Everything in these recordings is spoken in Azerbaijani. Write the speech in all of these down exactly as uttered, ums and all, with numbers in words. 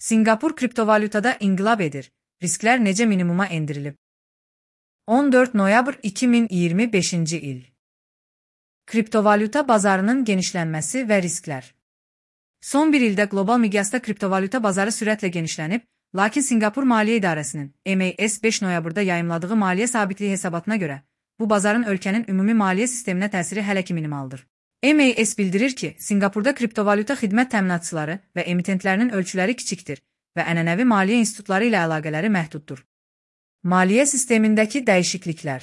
Singapur kriptovalyutada inqilab edir. Risklər necə minimuma endirilib? on dörd noyabr iki min iyirmi beşinci il. Kriptovalyuta bazarının genişlənməsi və risklər. Son bir ildə qlobal miqyasda kriptovalyuta bazarı sürətlə genişlənib, lakin Singapur Maliyyə İdarəsinin M A S beş noyabrda yayımladığı maliyyə sabitliyi hesabatına görə, bu bazarın ölkənin ümumi maliyyə sisteminə təsiri hələ ki minimaldır. M A S bildirir ki, Singapurda kriptovalyuta xidmət təminatçıları və emitentlərinin ölçüləri kiçikdir və ənənəvi maliyyə institutları ilə əlaqələri məhduddur. Maliyyə sistemindəki dəyişikliklər.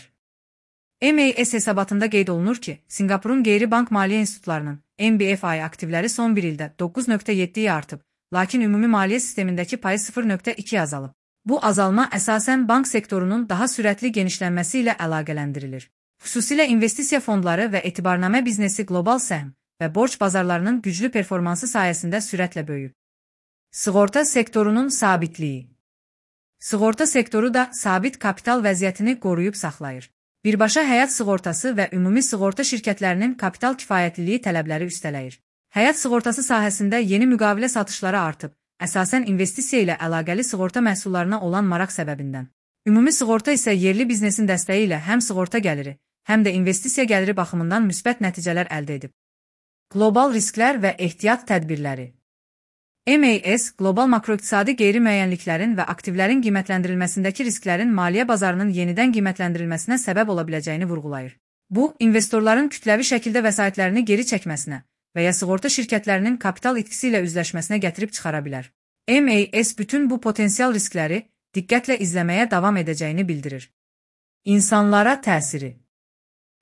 M A S hesabatında qeyd olunur ki, Singapurun qeyri-bank maliyyə institutlarının M B F I aktivləri son bir ildə doqquz nöqtə yeddiyə artıb, lakin ümumi maliyyə sistemindəki payı sıfır nöqtə ikiyə azalıb. Bu azalma əsasən bank sektorunun daha sürətli genişlənməsi ilə əlaqələndirilir. Xüsusilə investisiya fondları və etibarnamə biznesi qlobal səhm və borc bazarlarının güclü performansı sayəsində sürətlə böyüyüb. Sığorta sektorunun sabitliyi. Sığorta sektoru da sabit kapital vəziyyətini qoruyub saxlayır. Birbaşa həyat sığortası və ümumi sığorta şirkətlərinin kapital kifayətliliyi tələbləri üstələyir. Həyat sığortası sahəsində yeni müqavilə satışları artıb, əsasən investisiya ilə əlaqəli sığorta məhsullarına olan maraq səbəbindən. Ümumi sığorta isə yerli biznesin dəstəyi ilə həm sığorta gəliri, həm də investisiya gəliri baxımından müsbət nəticələr əldə edib. Qlobal risklər və ehtiyat tədbirləri. M A S, qlobal makroiqtisadi qeyri-müəyyənliklərin və aktivlərin qiymətləndirilməsindəki risklərin maliyyə bazarının yenidən qiymətləndirilməsinə səbəb ola biləcəyini vurğulayır. Bu, investorların kütləvi şəkildə vəsaitlərini geri çəkməsinə və ya sığorta şirkətlərinin kapital itkisi ilə üzləşməsinə gətirib çıxara bilər. M A S bütün bu potensial riskləri diqqətlə izləməyə davam edəcəyini bildirir. İnsanlara təsiri.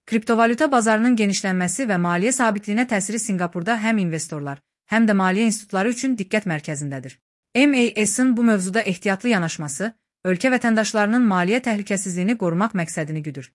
Kriptovalyuta bazarının genişlənməsi və maliyyə sabitliyinə təsiri Singapurda həm investorlar, həm də maliyyə institutları üçün diqqət mərkəzindədir. M A S-ın bu mövzuda ehtiyatlı yanaşması, ölkə vətəndaşlarının maliyyə təhlükəsizliyini qorumaq məqsədini güdür.